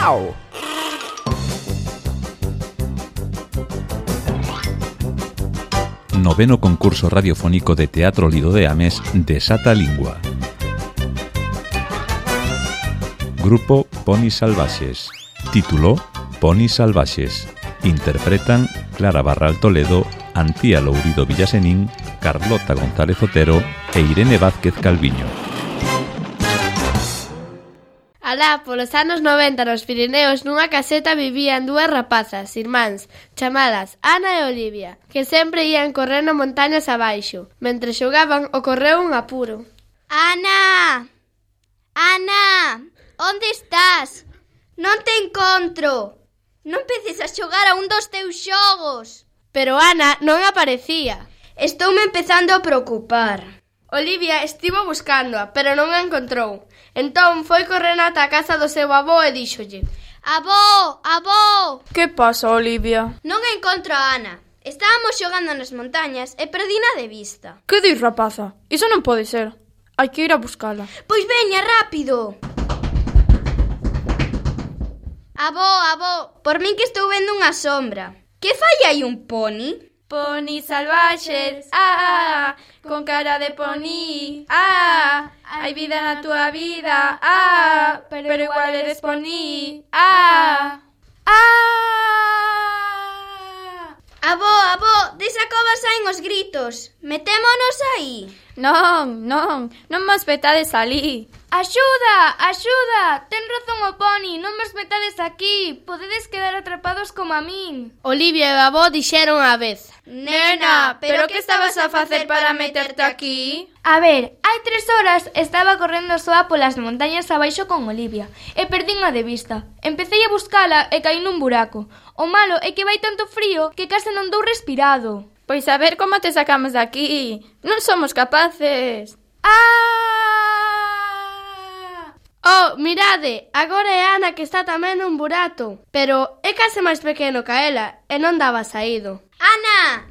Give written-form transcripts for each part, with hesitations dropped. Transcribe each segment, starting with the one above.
Miau. Noveno concurso radiofónico de Teatro Lido de Ames Desata a Lingua. Grupo Ponis Salvaxes. Título: Ponis Salvaxes. Interpretan Clara Barral Toledo, Antía Lourido Villasenín, Carlota González Otero e Irene Vázquez Calviño. Alá, polos anos 90 nos Pirineos nunha caseta vivían dúas rapazas, irmáns, chamadas Ana e Olivia, que sempre ían correndo montañas abaixo. Mentre xogaban, ocorreu un apuro. Ana! Ana! Onde estás? Non te encontro! Non empeces a xogar a un dos teus xogos! Pero Ana non aparecía. Estoume empezando a preocupar. Olivia estivo buscándoa, pero non a encontrou. Entón foi correndo ata a casa do seu avó e díxolle: Avó! Avó! Que pasa, Olivia? Non encontro a Ana. Estábamos xogando nas montañas e perdina de vista. Que dis, rapaza? Iso non pode ser. Hai que ir a buscala. Pois veña, rápido! Avó, por min que estou vendo unha sombra. Que fai aí un poni? Ponis salvaxes, con cara de poni, hai vida na túa vida, pero igual eres poni, Avó, desa cova saen os gritos. Metémonos aí. Non mos vetades alí. Axuda! Ten razón o poni, non vos metades aquí. Podedes quedar atrapados como a min. Olivia e o avó dixeron á vez: Nena, pero que estabas a facer para meterte aquí? A ver, hai 3 horas estaba correndo soa polas montañas abaixo con Olivia e perdinha de vista. Empecei a buscala e caí nun buraco. O malo é que vai tanto frío que case non dou respirado. Pois a ver como te sacamos de aquí. Non somos capaces. Oh, mirade, agora é Ana que está tamén nun burato. Pero é case máis pequeno que ela e non daba saído. Ana!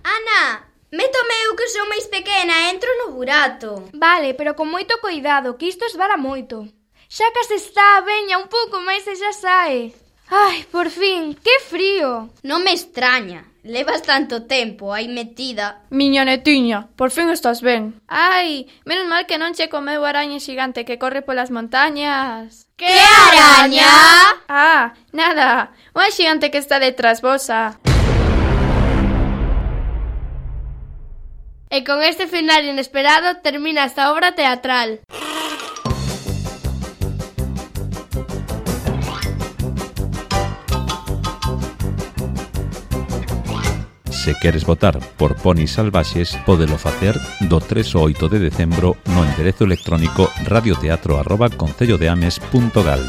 Métome eu que sou máis pequena e entro no burato. Vale, pero con moito cuidado, que isto esvara moito. Xa case está, veña, un pouco máis e xa sae. Ai, por fin, que frío. Non me extraña, levas tanto tempo aí metida. Miña netiña, por fin estás ben. Ai, menos mal que non che comeu a araña xigante que corre polas montañas. Que araña? Nada, unha xigante que está detrás vosa. E con este final inesperado termina esta obra teatral. Se queres votar por Ponis Salvaxes, pódelo facer do 3 ao 8 de decembro no enderezo electrónico radioteatro@concellodeames.gal.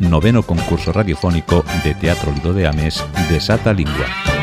Noveno concurso radiofónico de Teatro Lido de Ames Desata a Lingua.